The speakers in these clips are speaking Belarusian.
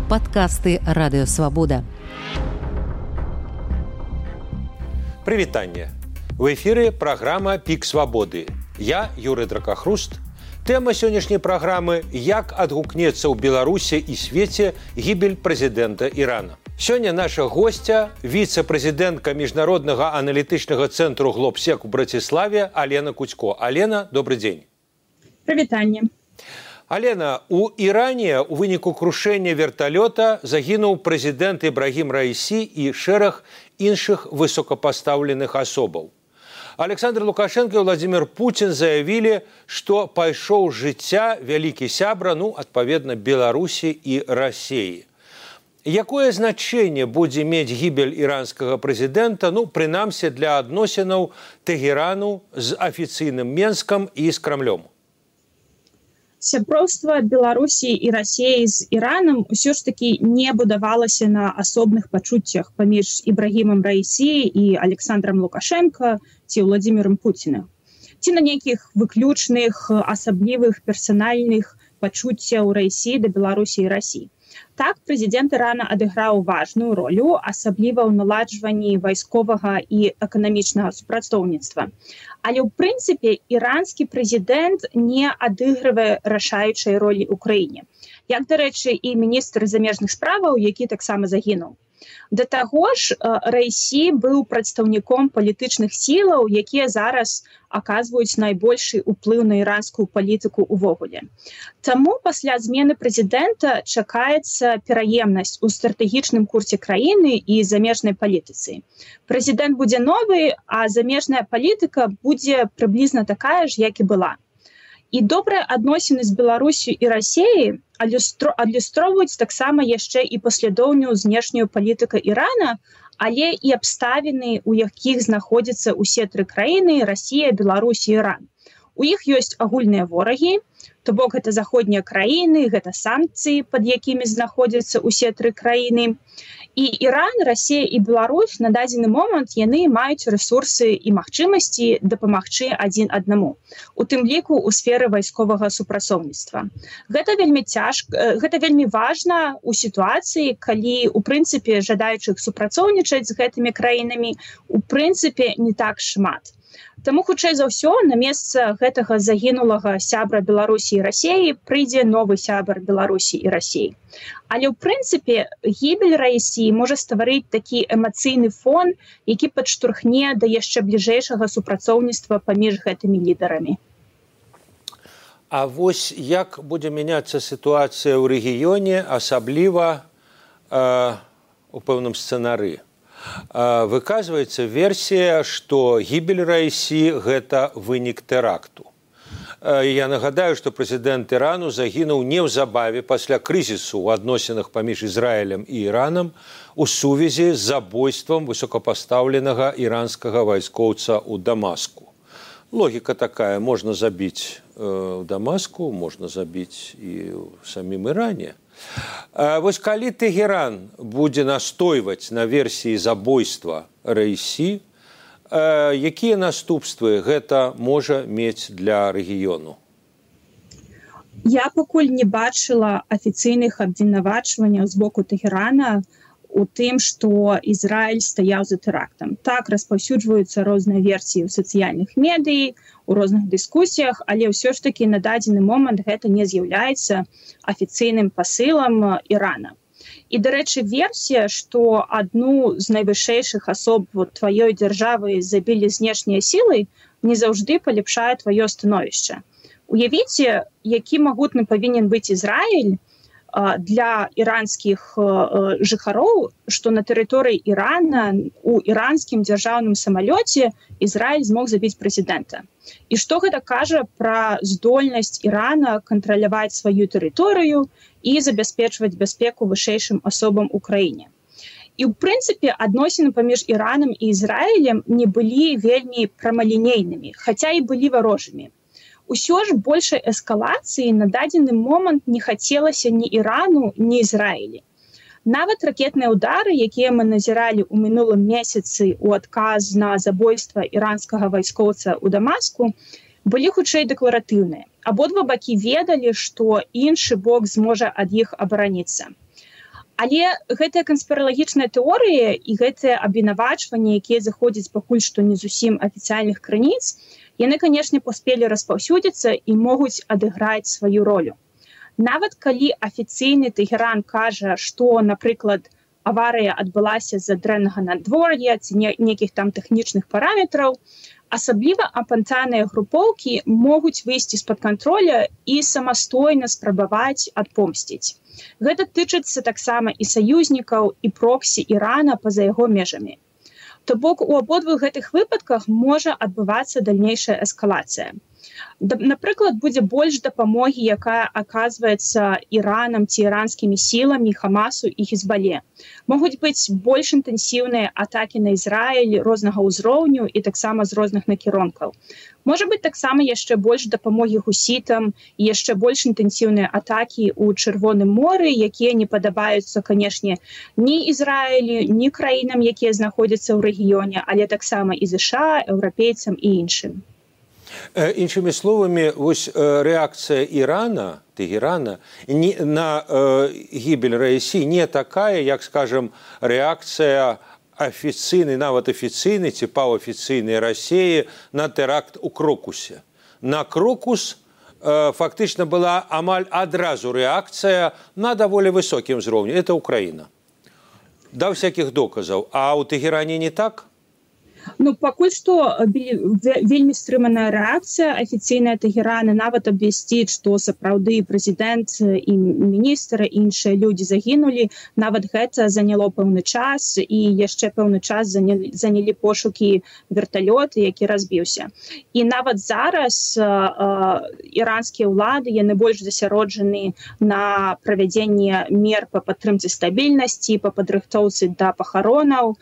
Падкасты Радыёвабода. Прывітанне. В эфіры праграма «Пік свабоды». Я, Юрый Дракахруст. Тэма сённяшняй праграмы «Як адгукнецца ў Беларусі і свеце гібель прэзідэнта Ірана». Сёння наша госця, віцэ-прэзідэнтка Міжнароднага аналітычнага цэнтру «Глобсек» у Браціславе Алена Куцько. Алена, добрый дзень. Прывітанне. Алена, у Іране ў выніку крушэння верталёта загінуў прэзідэнт Ібрагім Раісі і шэраг іншых высокапастаўленых асобаў. Александр Лукашенко і Владимир Путин заявілі, што пайшоў з жыцця вялікі сябра, адпаведна, Беларусі і Расіі. Якое значэнне будзе мець гібель іранскага прэзідэнта, прынамсі для адносінаў Тэгерану з афіцыйным Менскам і з Крамлём? Сяброўства Беларусі і Расіі з Іранам ўсё ж такі не будавалася на асобных пачуццях паміж Ібрагімам Раісі і Александром Лукашенко ці Владимиром Путиным. Ці на нейкіх выключных, асаблівых, персанальных пачуццяў Раісі да Беларусі і Расіі. Так, прэзідэнт Ірана адыграў важную ролю, асабліва ў наладжванні вайсковага і эканамічнага супрацоўніцтва. Але ў прынцыпе іранскі прэзідэнт не адыгрывае рашаючай ролі ў краіне. Як, дарэчы, і міністр замежных справаў, які таксама загінуў. Да таго ж, Раісі быў прадстаўніком палітычных сілаў, якія зараз аказваюць найбольшы ўплыў на іранскую палітыку ўвогуле. Таму пасля змены прэзідэнта чакаецца пераемнасць у стратэгічным курсе краіны і замежнай палітыцы. Прэзідэнт будзе новы, а замежная палітыка будзе прыблізна такая ж, як і была. І добрыя адносіны з Беларусю і Расіяй адлюстроўваюць таксама яшчэ і паслядоўную знешнюю палітыку Ірана, але і абставіны, у якіх знаходзяцца ўсе тры краіны – Расія, Беларусь і Іран. У іх ёсць агульныя ворагі, то бок гэта заходнія краіны, гэта санкцыі, пад якімі знаходзяцца ўсе тры краіны. І Іран, Расія і Беларусь на дадзены момант яны маюць рэсурсы і магчымасці дапамагчы адзін аднаму, у тым ліку ў сферы вайсковага супрацоўніцтва. Гэта вельмі важна ў сітуацыі, калі у прынцыпе жадаючых супрацоўнічаць з гэтымі краінамі у прынцыпе не так шмат. Таму, хутчэй за ўсё, на месца гэтага загінулага сябра Беларусі і Расіі прыйдзе новы сябар Беларусі і Расіі. Але ў прынцыпе гібель Раісі можа стварыць такі эмацыйны фон, які падштурхне да яшчэ бліжэйшага супрацоўніцтва паміж гэтымі лідарамі. А вось як будзе мяняцца сітуацыя ў рэгіёне, асабліва у пэўным сцэнары? Выказваецца версія, што гібель Раісі – гэта вынік тэракту. Я нагадаю, што прэзідэнт Ірану загінуў неўзабаве пасля крызісу ў адносінах паміж Ізраілем і Іранам у сувязі з забойствам высокапастаўленага іранскага вайскоўца ў Дамаску. Логіка такая, можна забіць у Дамаску, можна забіць і ў самім Іране. Вось калі Тэгеран будзе настойваць на версіі забойства Раісі, якія наступствы гэта можа мець для рэгіёну? Я пакуль не бачыла афіцыйных абвінавачванняў з боку Тэгерана у тым, што Ізраіль стаяў за тэрактам. Так, распаўсюджваюцца розныя версіі ў сацыяльных медыі, у розных дыскусіях, але ўсё ж такі на дадзены момант гэта не з'яўляецца афіцыйным пасылам Ірана. І, дарэчы, версія, што адну з найвышэйшых асоб тваёй дзяржавы забілі знешнія сілы, не заўжды палепшае тваё становішча. Уявіце, які магутны павінен быць Ізраіль для іранскіх жыхароў, што на тэрыторыі Ірана у іранскім дзяржаўным самалёце Ізраіль змог забіць прэзідэнта. І што гэта кажа пра здольнасць Ірана кантраляваць сваю тэрыторыю і забяспечваць бяспеку вышэйшым асобам у краіне. І ў прынцыпе адносіны паміж Іранам і Ізраілем не былі вельмі прамалінейнымі, хаця і былі варожымі. Усё ж большай эскалацыі на дадзены момант не хацелася ні Ірану, ні Ізраілі. Нават ракетныя ўдары, якія мы назіралі ў мінулым месяцы ў адказ на забойства іранскага вайскоўца ў Дамаску, былі хутчэй дэкларатыўныя. Абодва бакі ведалі, што іншы бок зможа ад іх абараніцца. Але гэтыя канспіралагічныя тэорыі і гэтыя абвінавачванні, якія заходзяць пакуль што не зусім афіцыяльных крыніц, яны, канешне, паспелі распаўсюдзіцца і могуць адыграць сваю ролю. Нават калі афіцыйны Тэгеран кажа, што, напрыклад, аварыя адбылася з-за дрэннага надвор'я ці нейкіх там тэхнічных параметраў, асабліва апантаныя групоўкі могуць выйсці з-пад кантроля і самастойна спрабаваць адпомсціць. Гэта тычыцца таксама і саюзнікаў, і проксі Ірана па-за яго межамі. То бок у абодвух гэтых выпадках можа адбывацца дальнейшая эскалацыя. Напрыклад, будзе больш дапамогі, якая аказваецца Іранам ці іранскімі сіламі Хамасу і Хізбале. Могуць быць больш інтэнсіўныя атакі на Ізраіль рознага ўзроўню і таксама з розных накірункаў. Можа быць таксама яшчэ больш дапамогі хусітам і яшчэ больш інтэнсіўныя атакі ў Чырвоным моры, якія не падабаюцца, канешне, ні Ізраілю, ні краінам, якія знаходзяцца ў рэгіёне, але таксама і ЗША, еўрапейцам і іншым. Іншымі словамі, вось рэакцыя Ірана, Тегерана, на гібель Раісі не такая, як, скажем, рэакцыя афіцыйнай, нават афіцыйнай ці паўафіцыйнай Расіі на тэракт у Крокусе. На Крокус фактычна была амаль адразу рэакцыя на даволі высокім узроўні. Это Украіна. Да всякіх доказаў. А ў Тегеране не так? Ну, пакуль што вельмі стрыманая рэакцыя афіцыйная Тегерана, нават абвясціць, што сапраўды прэзідэнт і міністр, іншыя людзі загінулі. Нават гэта заняло пэўны час, і яшчэ пэўны час занялі пошукі верталёта, які разбіўся. І нават зараз іранскія ўлады, яны больш засяроджаны на правядзенне мер па падтрымцы стабільнасці, па падрыхтоўцы да пахаронаў,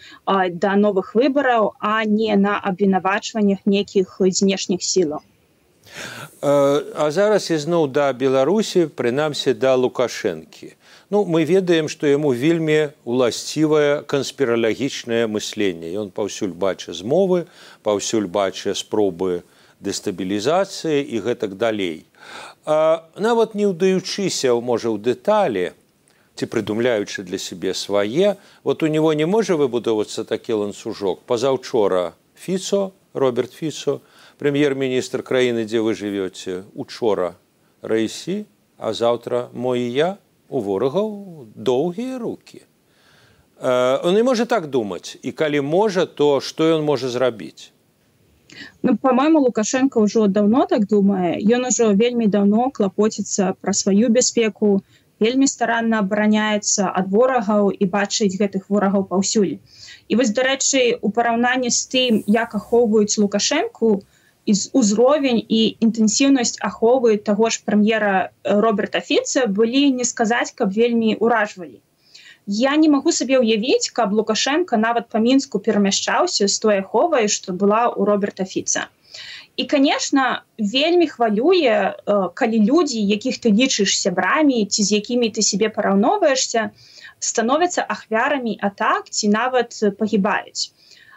да новых выбараў, а не на абвінавачваннях нейкіх знешніх сілаў. А зараз ізноў да Беларусі, прынамсі да Лукашэнкі. Ну, мы ведаем, што яму вельмі уласцівае канспіралагічнае мысленне. Ён паўсюль бачыць змовы, паўсюль бачыць спробы дэстабілізацыі і гэтак далей. Нават не ўдаючыся, можа, ў дэталі, ці прыдумляючы для сябе свае, вот у него не можа выбудовацца такі ланцужок. Пазаўчора Фіцо, Роберт Фіцо, прэм'ер-міністр краіны, дзе вы жывёце, учора Раісі, а заўтра мой і я, у ворагаў доўгія рукі. Он не можа так думаць, і калі можа, то што ён можа зрабіць? Ну, по-моему, Лукашенко ўжо даўно так думае. Ён ужо вельмі даўно клапоціцца пра сваю бяспеку, вельмі старанна абараняецца ад ворагаў і бачыць гэтых ворагаў паўсюль. І вось, дарэчы, у параўнанні з тым, як ахоўваюць Лукашэнку, узровень і інтэнсіўнасць аховы таго ж прэм'ера Роберта Фіца былі, не сказаць, каб вельмі ўражвалі. Я не магу сабе ўявіць, каб Лукашенко нават па Мінску перамяшчаўся з той аховай, што была ў Роберта Фіца. І, конечно, вельмі хвалюе, калі людзі, якіх ты лічыш сябрамі, ці з якімі ты себе параўноўваешся, становяцца ахвярамі атак ці нават пагібаюць.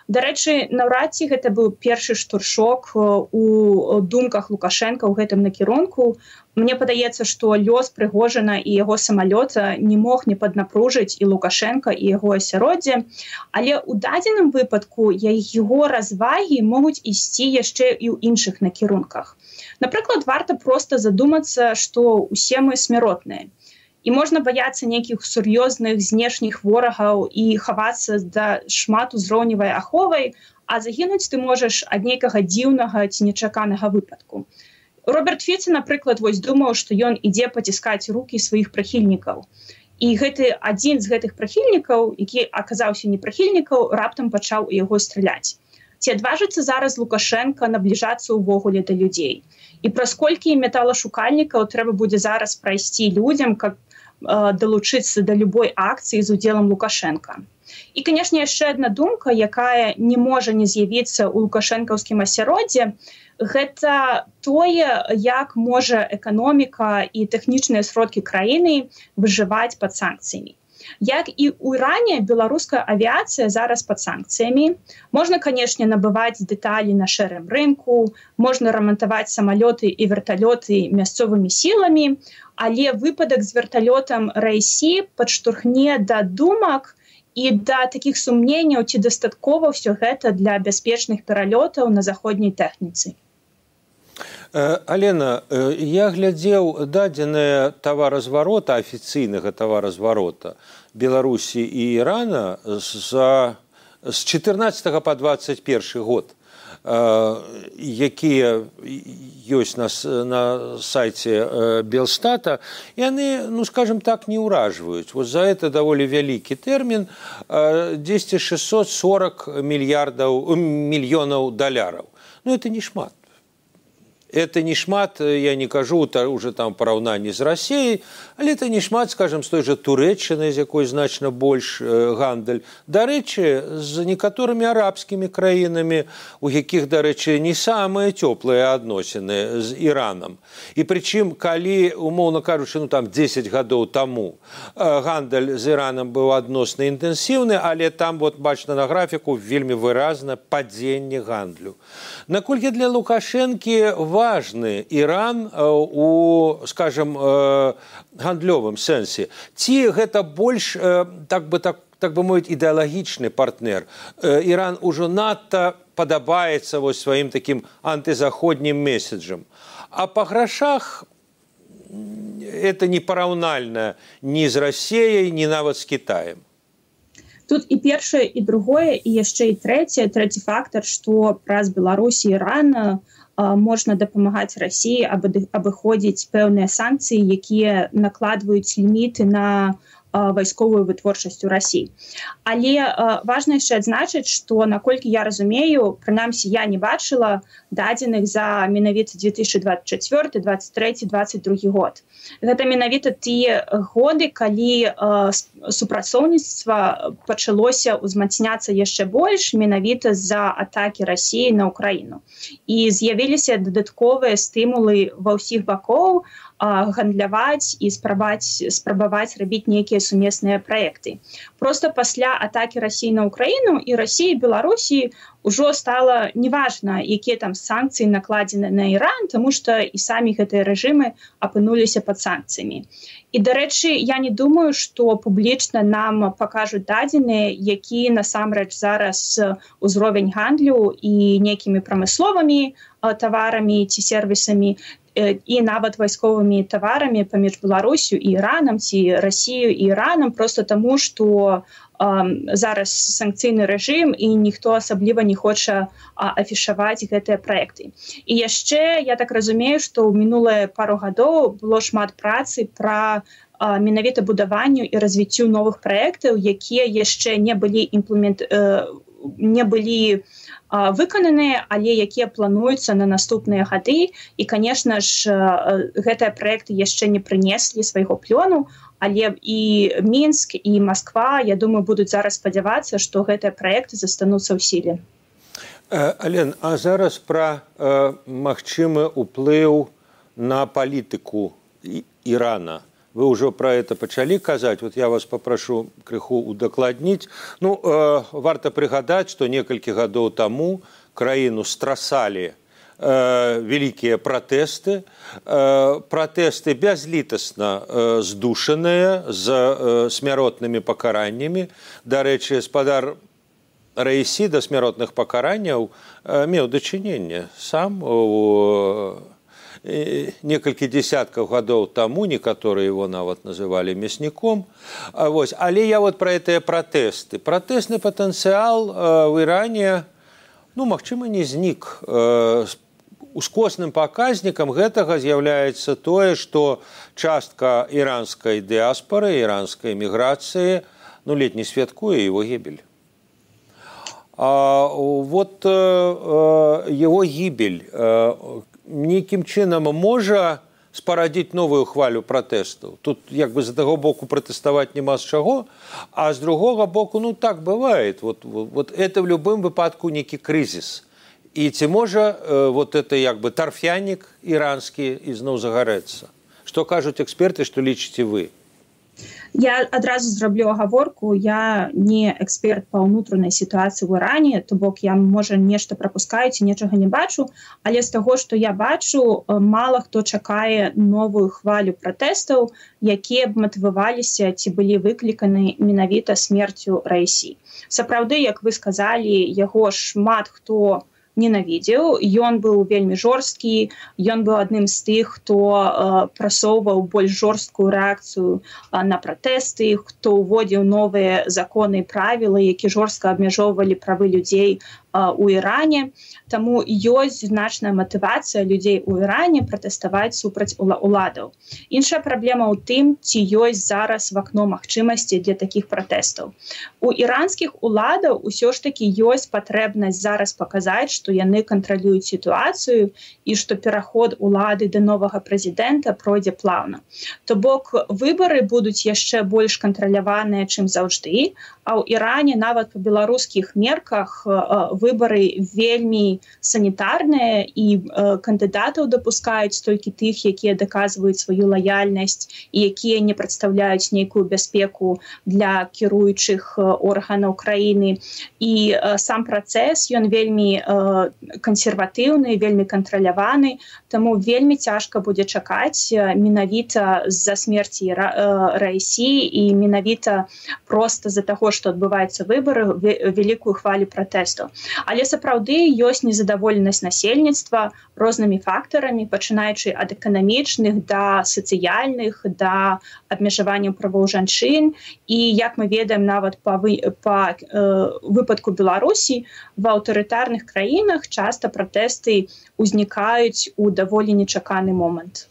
Дарэчы, наўрад ці гэта быў першы штуршок у думках Лукашенка ў гэтым накірунку. Мне падаецца, што лёс Прыгожина і яго самалёта не мог не паднапружыць і Лукашенка, і яго асяроддзе, але ў дадзеным выпадку яго развагі могуць ісці яшчэ і ў іншых накірунках. Напрыклад, варта проста задумацца, што ўсе мы смяротныя. І можна баяцца нейкіх сур'ёзных знешніх ворагаў і хавацца да шматузроўневай аховай, а загінуць ты можаш ад нейкага дзіўнага ці нечаканага выпадку. Роберт Фіца, напрыклад, вось думаў, што ён ідзе паціскаць рукі сваіх прыхільнікаў. І гэты адзін з гэтых прыхільнікаў, які аказаўся непрыхільнікаў, раптам пачаў у яго страляць. Ці адважыцца зараз Лукашенка набліжацца ўвогуле да людзей? І праз колькі металашукальнікаў трэба будзе зараз прайсці людзям, каб далучыцца да любой акцыі з удзелам Лукашенка. І, канешне, яшчэ адна думка, якая не можа не з'явіцца ў лукашэнкаўскім асяроддзе, гэта тое, як можа эканоміка і тэхнічныя сродкі краіны выжываць пад санкцыямі. Як і ў Іране, беларуская авіяцыя зараз пад санкцыямі. Можна, канешне, набываць дэталі на шэрым рынку, можна рамантаваць самалёты і верталёты мясцовымі сіламі, але выпадак з верталётам Райсі падштурхне да думак і да такіх сумненняў, ці дастаткова ўсё гэта для бяспечных пералётаў на заходняй тэхніцы. Алена, я глядзеў дадзеныя таваразварота, афіцыйнага таваразварота Беларусі і Ірана з 14 па 21 год, якія ёсць на сайце Белстата, і яны, скажем так, не ўражваюць. Вот за это даволі вялікі тэрмін, 640 мільёнаў даляраў. Это не шмат. Это не шмат, я не кажу уже там параўнанні з Расіяй, але это не шмат, скажем, з той жа Турэччынай, з якой значна больш гандаль. Дарэчы, з некаторымі арабскімі краінамі, у якіх, дарэчы, не самыя цёплыя адносіны з Іранам. І прычым, калі, умоўна кажучы, там 10 гадоў таму гандаль з Іранам быў адносна інтэнсіўны, але там, вот, бачна на графіку, вельмі выразна падзенне гандлю. Наколькі для Лукашэнкі важны Іран у, скажем, гандлёвым сэнсе? Ці гэта больш, так бы мовіць, ідэалагічны партнер? Іран ужо надта падабаецца сваім такім антызаходнім месседжам. А па грашах это не параўнальна ні з Расіяй, ні нават з Кітаем. Тут і першае, і другое, і яшчэ і трэці фактар, што праз Беларусь і Іран можна дапамагаць Расіі абыходзіць пэўныя санкцыі, якія накладваюць ліміты на вайсковую вытворчасць у Расіі. Але важна яшчэ адзначыць, што, наколькі я разумею, прынамсі я не бачыла дадзеных за менавіта 2024, 2023, 2022 год. Гэта менавіта тыя годы, калі супрацоўніцтва пачалося ўзмацняцца яшчэ больш менавіта з-за атакі Расіі на Ўкраіну. І з'явіліся дадатковыя стымулы ва ўсіх бакоў гандляваць і спрабаваць рабіць нейкія сумесныя праекты. Просто пасля атакі Расіі на Ўкраіну і Расіі і Беларусі ўжо стала неважна, якія там санкцыі накладзены на Іран, таму што і самі гэтыя рэжымы апынуліся пад санкцыямі. І, дарэчы, я не думаю, што публічна нам пакажуць дадзеныя, які насамрэч зараз узровень гандлю і нейкімі прамысловымі таварамі ці сервісамі, і нават вайсковымі таварамі паміж Беларусю і Іранам, ці Расію і Іранам, просто таму, што зараз санкцыйны рэжым і ніхто асабліва не хоча афішаваць гэтыя праекты. І яшчэ, я так разумею, што ў минулыя пару гадоў было шмат працы пра менавіта будаванню і развіццю новых праектаў, якія яшчэ не былі выкананыя, але якія плануюцца на наступныя гады. І, конечно ж, гэтыя праекты яшчэ не прынеслі свайго плёну, але і Мінск, і Масква, я думаю, будуць зараз спадзявацца, што гэтыя праекты застануцца ў сіле. Ален, а зараз пра магчымы ўплыў на палітыку Ірана. Вы ўжо пра это пачалі казаць, вот я вас папрашу крыху удакладніць. Варта прыгадаць, што некалькі гадоў таму краіну страсалі вялікія пратэсты, пратэсты бязлітасна здушаныя з смяротнымі пакараннямі. Дарэчы, спадар Раісі да смяротных пакаранняў меў дачыненне сам некалькі дзесяткаў гадоў таму, некаторыя его нават называлі мясніком. Але я вот пра гэтыя пратэсты. Пратэсны патэнцыял в Іране, магчыма, не знік. Ускосным паказнікам гэтага з'яўляецца тое, што частка іранскай дыаспары, іранскай міграцыі, ледзь не святкуе его гібель. Вот его гібель нейкім чынам можа спарадзіць новую хвалю пратэстаў. Тут як бы з аднаго боку пратэставаць няма з чаго, а з другога боку, так бывае. Вот это в любым выпадку нейкі крызіс. І ці можа вот это як бы тарфянік іранскі ізноў загарэцца? Што кажуць эксперты, што лічыце вы? Я адразу зраблю агаворку, я не эксперт па ўнутранай сітуацыі ў Іране, то бок я, можа, нешта прапускаю ці нечага не бачу, але з таго, што я бачу, мала хто чакае новую хвалю пратэстаў, якія б матываваліся ці былі выкліканы менавіта смерцю Раісі. Сапраўды, як вы сказалі, яго шмат хто ненавідзеў, ён быў вельмі жорсткі, ён быў адным з тых, хто прасоўваў больш жорсткую рэакцыю на пратэсты, хто ўводзіў новыя законы і правілы, які жорстка абмяжоўвалі правы людзей у Іране. Таму ёсць значная матывацыя людзей у Іране пратэставаць супраць уладаў. Іншая праблема ў тым, ці ёсць зараз вакно магчымасці для такіх пратэстаў. У іранскіх уладаў усё ж такі ёсць патрэбнасць зараз паказаць, што яны кантралююць сітуацыю і што пераход улады да новага прэзідэнта пройдзе плаўна. То бок выбары будуць яшчэ больш кантраляваныя, чым заўжды, а ў Іране нават па беларускіх мерках выбары вельмі санітарныя і кандыдатаў дапускаюць толькі тых, якія даказваюць сваю лаяльнасць і якія не прадстаўляюць нейкую бяспеку для кіруючых органаў краіны. І сам працэс, ён вельмі кансерватыўны, вельмі кантраляваны, таму вельмі цяжка будзе чакаць менавіта з-за смерці Раісі і менавіта проста з-за таго, што адбываюцца выбары, вялікую хвалю пратэстаў. Але сапраўды ёсць незадаволенасць насельніцтва рознымі фактарамі, пачынаючы ад эканамічных да сацыяльных, да абмежаванняў правоў жанчын. І, як мы ведаем, нават па выпадку Беларусі, в аўтарытарных краінах часта пратэсты ўзнікаюць у даволі нечаканы момант.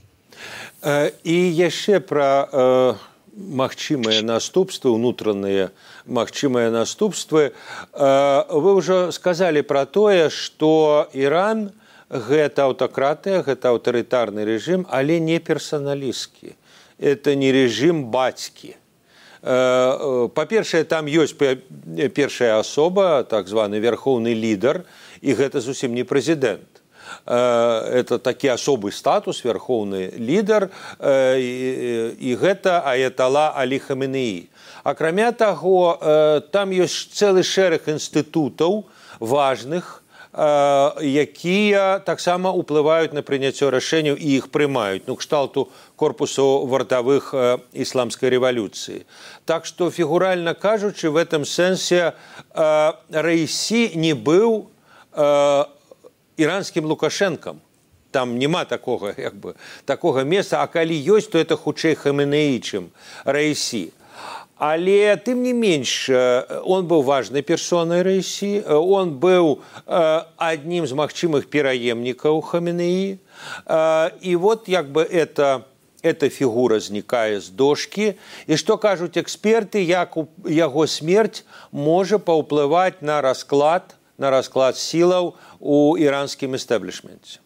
І яшчэ пра магчымыя наступствы, унутраныя магчымыя наступствы. Вы ўжо сказалі пра тое, што Іран гэта аўтакратыя, гэта аўтарытарны рэжым, але не персаналісткі. Это не рэжым бацькі. Па-першае, там ёсць першая асоба, так званы верхоўны лідар, і гэта зусім не прэзідэнт. Это такі асобы статус, верхоўны лідар, і гэта аятала Алі Хаменеі. Акрамя таго, там ёсць цэлы шэраг інстытутаў важных, якія таксама ўплываюць на прыняццё рашэнняў і іх прымаюць, кшталту корпусу вартавых ісламскай рэвалюцыі. Так што, фігуральна кажучы, в этом сэнсе Раісі не быў іранскім Лукашэнкам. Там няма такога месца, а калі ёсць, то это хутчэй Хаменеі, чым Раісі. Але, тым не менш, он быў важнай персонай Раісі, он быў аднім з магчымых пераемнікаў Хаменеі. І вот эта фігура знікае з дошкі. І што кажуць эксперты, як яго смерць можа паўплываць на расклад сілаў у іранскім эстаблішменце.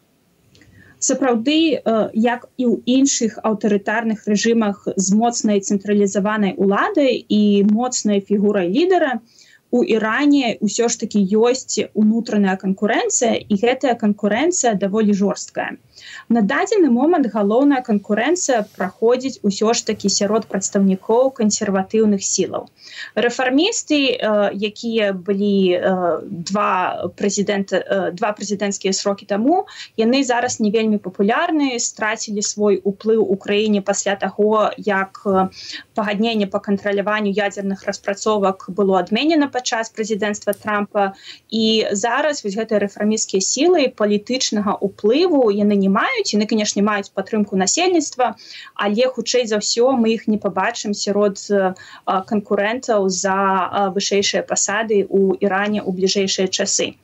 Сапраўды, як і ў іншых аўтарытарных рэжымах з моцнай цэнтралізаванай уладай і моцнай фігурай лідара, у Іране ўсё ж такі ёсць унутраная канкурэнцыя, і гэтая канкурэнцыя даволі жорсткая. На дадзены момант галоўная канкурэнцыя праходзіць усё ж такі сярод прадстаўнікоў кансерватыўных сілаў. Рэфармісты, якія былі два прэзідэнцкія срокі таму, яны зараз не вельмі папулярныя, страцілі свой уплыў у краіне пасля таго, як пагадненне па кантраляванню ядзерных распрацовак было адменена падчас прэзідэнцтва Трампа. І зараз вось гэтыя рэфармісцкія сілы палітычнага ўплыву яны не маюць, яны, канешне, маюць падтрымку насельніцтва, але хутчэй за ўсё мы іх не пабачым сярод канкурэнтаў за вышэйшыя пасады ў Іране ў бліжэйшыя часы.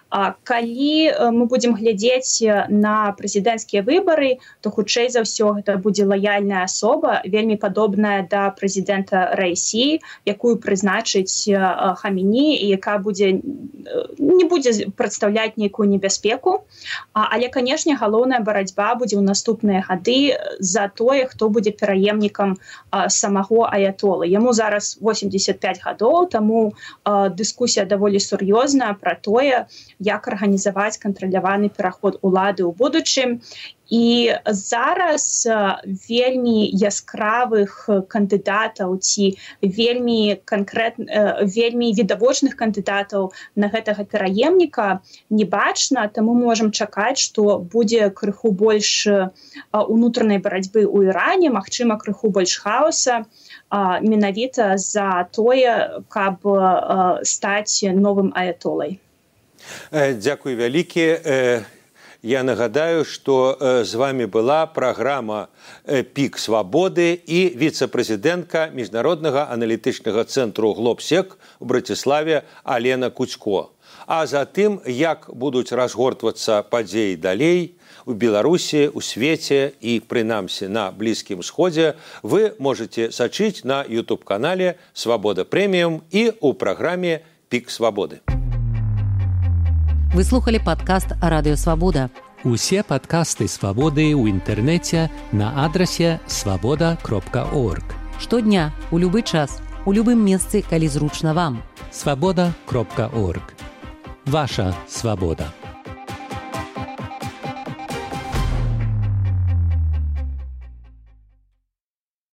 Калі мы будзем глядзець на прэзідэнцкія выбары, то хутчэй за ўсё гэта будзе лаяльная асоба, вельмі падобная да прэзідэнта Раісі, якую прызначыць Хаменеі, і якая не будзе прадстаўляць нейкую небяспеку. Але, канешне, галоўная барацьба будзе ў наступныя гады за тое, хто будзе пераемнікам самого аятолы. Яму зараз 85 гадоў, таму дыскусія даволі сур'ёзная пра тое, як арганізаваць кантраляваны пераход улады ў будучым. І зараз вельмі яскравых кандыдатаў ці вельмі відавочных кандыдатаў на гэтага пераемніка не бачна, таму можам чакаць, што будзе крыху больш унутранай барацьбы ў Іране, магчыма, крыху больш хаоса, менавіта за тое, каб стаць новым аятолай. Дзякуй вялікі. Я нагадаю, што з вами была праграма «Пік свабоды» і віцэ-прэзідэнтка Міжнароднага аналітычнага цэнтру «Глобсек» у Браціславе Алена Куцько. А затым, як будуць разгортвацца падзеі далей у Беларусі, у свеце і, прынамсі, на Блізкім Сходзе, вы можете сачыць на YouTube-канале «Свабода Прэміум» і ў праграме «Пік свабоды». Вы слухали падкаст «Радыё Свабода». Усе падкасты «Свабоды» ў інтэрнэце на адрасе свабода.орг. Штодня, у любы час, у любым месцы, калі зручна вам. Свабода.орг. Ваша свабода.